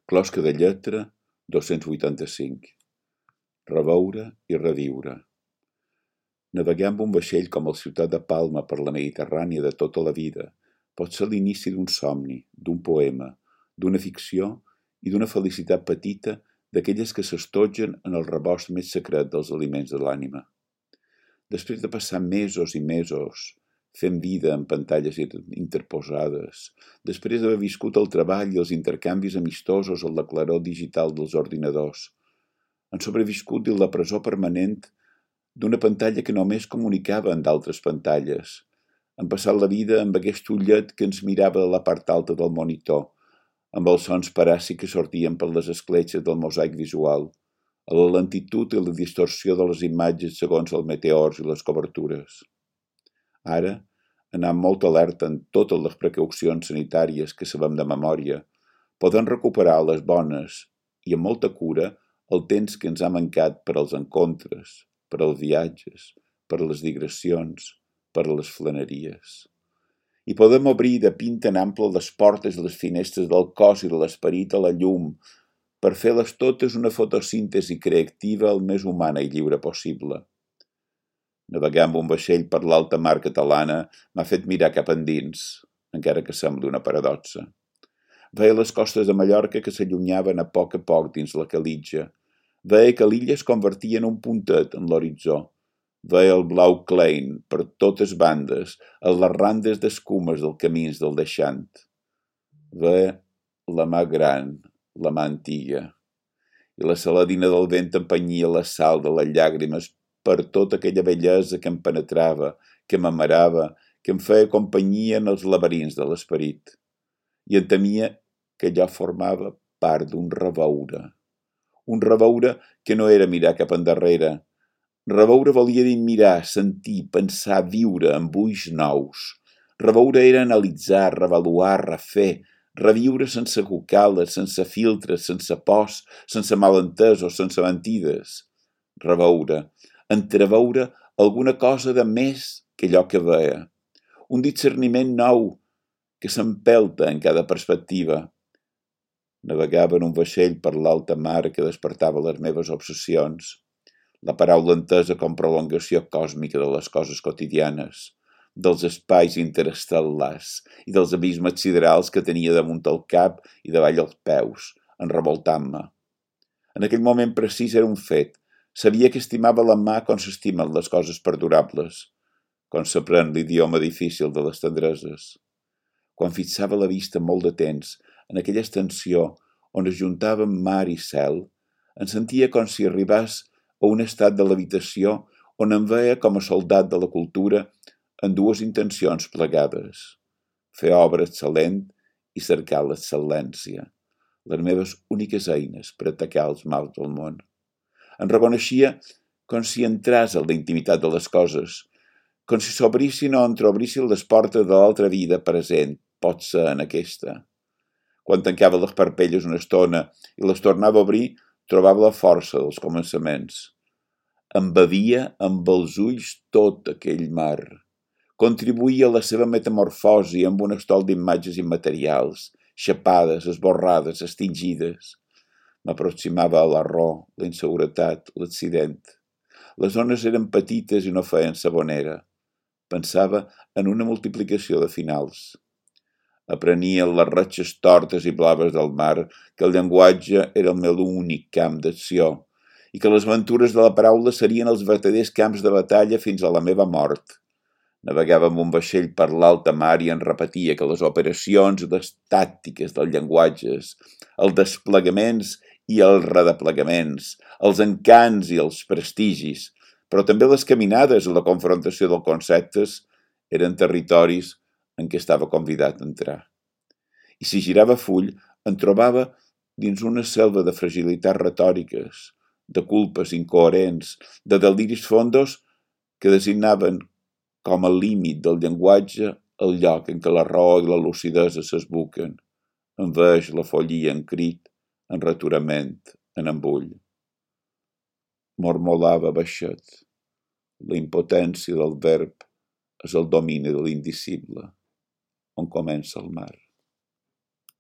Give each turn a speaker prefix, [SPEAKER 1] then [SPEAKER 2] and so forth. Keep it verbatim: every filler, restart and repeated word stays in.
[SPEAKER 1] Closca de lletra, dos-cents vuitanta-cinc. Reveure i reviure. Navegar amb un vaixell com el Ciutat de Palma per la Mediterrània de tota la vida pot ser l'inici d'un somni, d'un poema, d'una ficció i d'una felicitat petita d'aquelles que s'estotgen en el rebost més secret dels aliments de l'ànima. Després de passar mesos i mesos fent vida en pantalles interposades, després d'haver viscut el treball i els intercanvis amistosos en la claror digital dels ordinadors, han sobreviscut dins la presó permanent d'una pantalla que només comunicava amb d'altres pantalles. Han passat la vida amb aquest ullet que ens mirava de la part alta del monitor, amb els sons paràsics que sortien per les escletxes del mosaic visual, a la lentitud i la distorsió de les imatges segons els meteors i les cobertures. Ara, anant molt alerta en totes les precaucions sanitàries que sabem de memòria, podem recuperar les bones i amb molta cura el temps que ens ha mancat per als encontres, per als viatges, per les digressions, per les flaneries. I podem obrir de pinta en ample les portes i les finestres del cos i de l'esperit a la llum, per fer-les totes una fotosíntesi creativa el més humana i lliure possible. Navegar amb un vaixell per l'alta mar catalana m'ha fet mirar cap endins, encara que sembla una paradoxa. Veia les costes de Mallorca que s'allunyaven a poc a poc dins la calitja. Veia que l'illa es convertia en un puntet en l'horitzó. Veia el blau Klein per totes bandes, a les randes d'escumes del camins del deixant. Veia la mà gran, la mà antiga, i la saladina del vent empenyia la sal de les llàgrimes per tota aquella bellesa que em penetrava, que m'amarava, que em feia companyia en els laberints de l'esperit. I em temia que allò formava part d'un reveure. Un reveure que no era mirar cap endarrere. Reveure volia dir mirar, sentir, pensar, viure amb ulls nous. Reveure era analitzar, revaluar, refer, reviure sense cucales, sense filtres, sense pors, sense malentesos, sense mentides. Reveure, entreveure alguna cosa de més que allò que veia. Un discerniment nou que s'empelta en cada perspectiva. Navegava en un vaixell per l'alta mar que despertava les meves obsessions. La paraula entesa com prolongació còsmica de les coses quotidianes, dels espais interestel·lars i dels abismes siderals que tenia damunt el cap i davall els peus, enrevoltant-me. En aquell moment precís era un fet. Sabia que estimava la mà com s'estimen les coses perdurables, com s'aprèn l'idioma difícil de les tendreses. Quan fixava la vista molt de temps en aquella extensió on es juntaven mar i cel, em sentia com si arribés a un estat de l'habitació on em veia com a soldat de la cultura en dues intencions plegades, fer obra excel·lent i cercar l'excel·lència, les meves úniques eines per atacar els mals del món. Em reconeixia com si entrés en la intimitat de les coses, com si s'obrissin o entreobrissin les portes de l'altra vida present, pot ser en aquesta. Quan tancava les parpelles una estona i les tornava a obrir, trobava la força dels començaments. Embevia amb els ulls tot aquell mar. Contribuïa a la seva metamorfosi amb un estol d'imatges immaterials, xapades, esborrades, extingides. M'aproximava a l'error, la inseguretat, l'accident. Les ones eren petites i no feien sabonera. Pensava en una multiplicació de finals. Aprenia les ratxes tortes i blaves del mar que el llenguatge era el meu únic camp d'acció i que les aventures de la paraula serien els verdaders camps de batalla fins a la meva mort. Navegava amb un vaixell per l'alta mar i en repetia que les operacions i les tàctiques dels llenguatges, els desplegaments i els redeplegaments, els encants i els prestigis, però també les caminades i la confrontació dels conceptes eren territoris en què estava convidat a entrar. I si girava full, em trobava dins una selva de fragilitats retòriques, de culpes incoherents, de deliris fondos que designaven com a límit del llenguatge el lloc en què la raó i la lucidesa s'esbuquen, enveix la follia en crit, en returament, en embull. Mormolava baixet. La impotència del verb és el domini de l'indicible, on comença el mar.